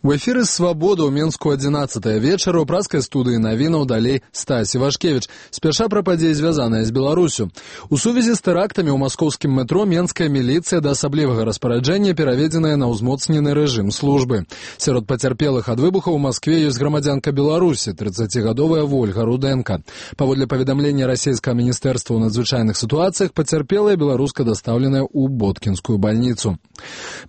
У эфіры «Свабода» ў Менску 11 вечара ў праскай студыі навінаў далей Стась Івашкевіч. Спяша пра падзеі, звязаныя з Беларусю. У сувязі з тэрактамі ў маскоўскім метро менская міліцыя да асаблівага распараджэння пераведзеная на ўзмоцнены рэжым службы. Сярод пацярпелых ад выбухаў у Маскве ёсць грамадзянка Беларусі, 30гадовая Вольга Руденко. Паводле паведамлення расійскага міністэрства ў надзвычайных сітуацыях, пацярпелая беларуска дастаўленая ў Боткінскую бальніцу.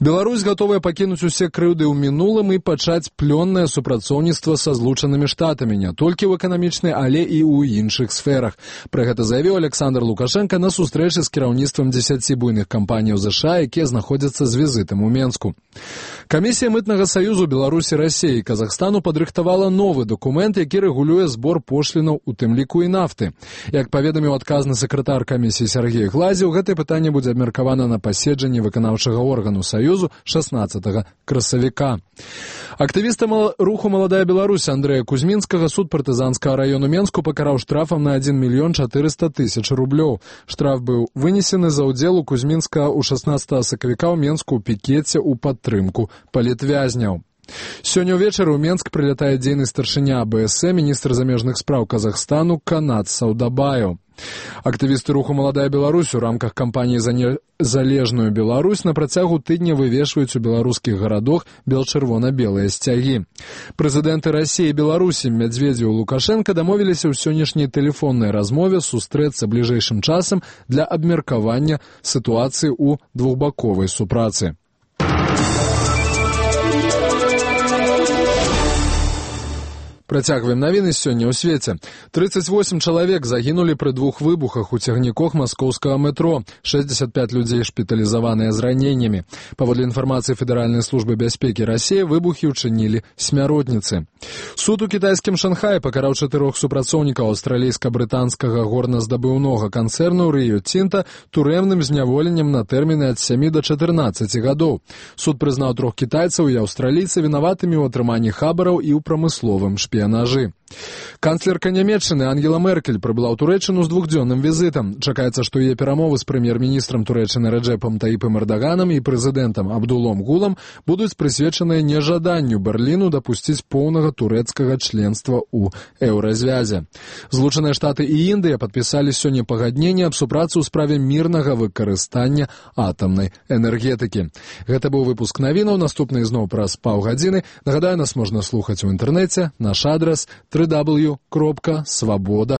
Беларусь гатовая пакінуць усе крыўды ў мінулым і пачаць плённае супрацоўніцтва са злучанымі штатамі не толькі ў эканамічнай, але і ў іншых сферах. Пра гэта заявіў Александр Лукашенко на сустрэчы з кіраўніцтвам 10 буйных кампаніяў ЗША, якія знаходзяцца з візітам у Менску. Камісія мытнага саюзу Беларусі, Расіі і Казахстану падрыхтавала новы дакумент, які рэгулюе збор пошлінаў, у тым ліку і нафты. Як паведаміў адказны сакратар камісіі Сергей Глазеў, гэтае пытанне будзе абмеркавана на паседжанні выканаўчага органу саюзу 16 красавіка. Актывіста руху «Маладая Беларусь» Андрэя Кузьмінскага суд партызанскага раёну Менску пакараў штрафам на 1 400 000 рублёў. Штраф быў вынесены за ўдзел у Кузьмінска ў 16 сакавіка ў Менску ў пікеце ў падтрымку палітвязняў. Сёння ўвечары ў Менск прылятае дзейны старшыня АБС, міністр замежных спраў Казахстану Канат Саудабаев. Актывісты руху «Маладая Беларусь» у рамках кампаніі «Залежную Беларусь» на працягу тыдня вывешваюць у беларускіх гарадах бел-чырвона-белыя сцягі. Прэзідэнты Расіі і Беларусі Медведзеў і Лукашенко дамовіліся ў сённяшняй тэлефоннай размове сустрэцца бліжэйшым часам для абмеркавання сітуацыі ў двухбаковай супрацы. Працягваем навіны сёння ў свеце. 38 чалавек загінулі пры 2 выбухах у цягніках маскоўскага метро. 65 людзей шпіталізаваныя з раненнямі. Паводле інфармацыі Федэральнай службы бяспекі Расіі, выбухі ўчынілі смяротніцы. Суд у кітайскім Шанхаі пакараў 4 супрацоўнікаў аўстралійска-брытанскага горназдабыўнога канцэрну Rio Tinto турэмным зняволеннем на тэрміны ад 7 до 14 гадоў. Суд прызнаў 3 кітайцаў і аўстралійца вінаватымі ў атрыманні хабараў і ў прамысловым шпіянажы. Канцлерка Нямецчыны Ангела Меркель прыбыла ў Турэччыну з 2-дзённым візітам. Чакаецца, што яе перамовы з прэм'ер-міністрам Турэччыны Рэджэпам Таіпам Эрдаганам і прэзідэнтам Абдулом Гулам будуць прысвечаныя нежаданню Берліну дапусціць поўнага турэцкага членства ў еўразвязе. Злучаныя Штаты і Індыя падпісалі сёння пагадненне аб супрацы ў справе мірнага выкарыстання атамнай энергетыкі. Гэта быў выпуск навінаў, наступны зноў праз паўгадзіны. Нагадаю, нас можна слухаць у інтэрнэце, наш адрас www.swaboda.org.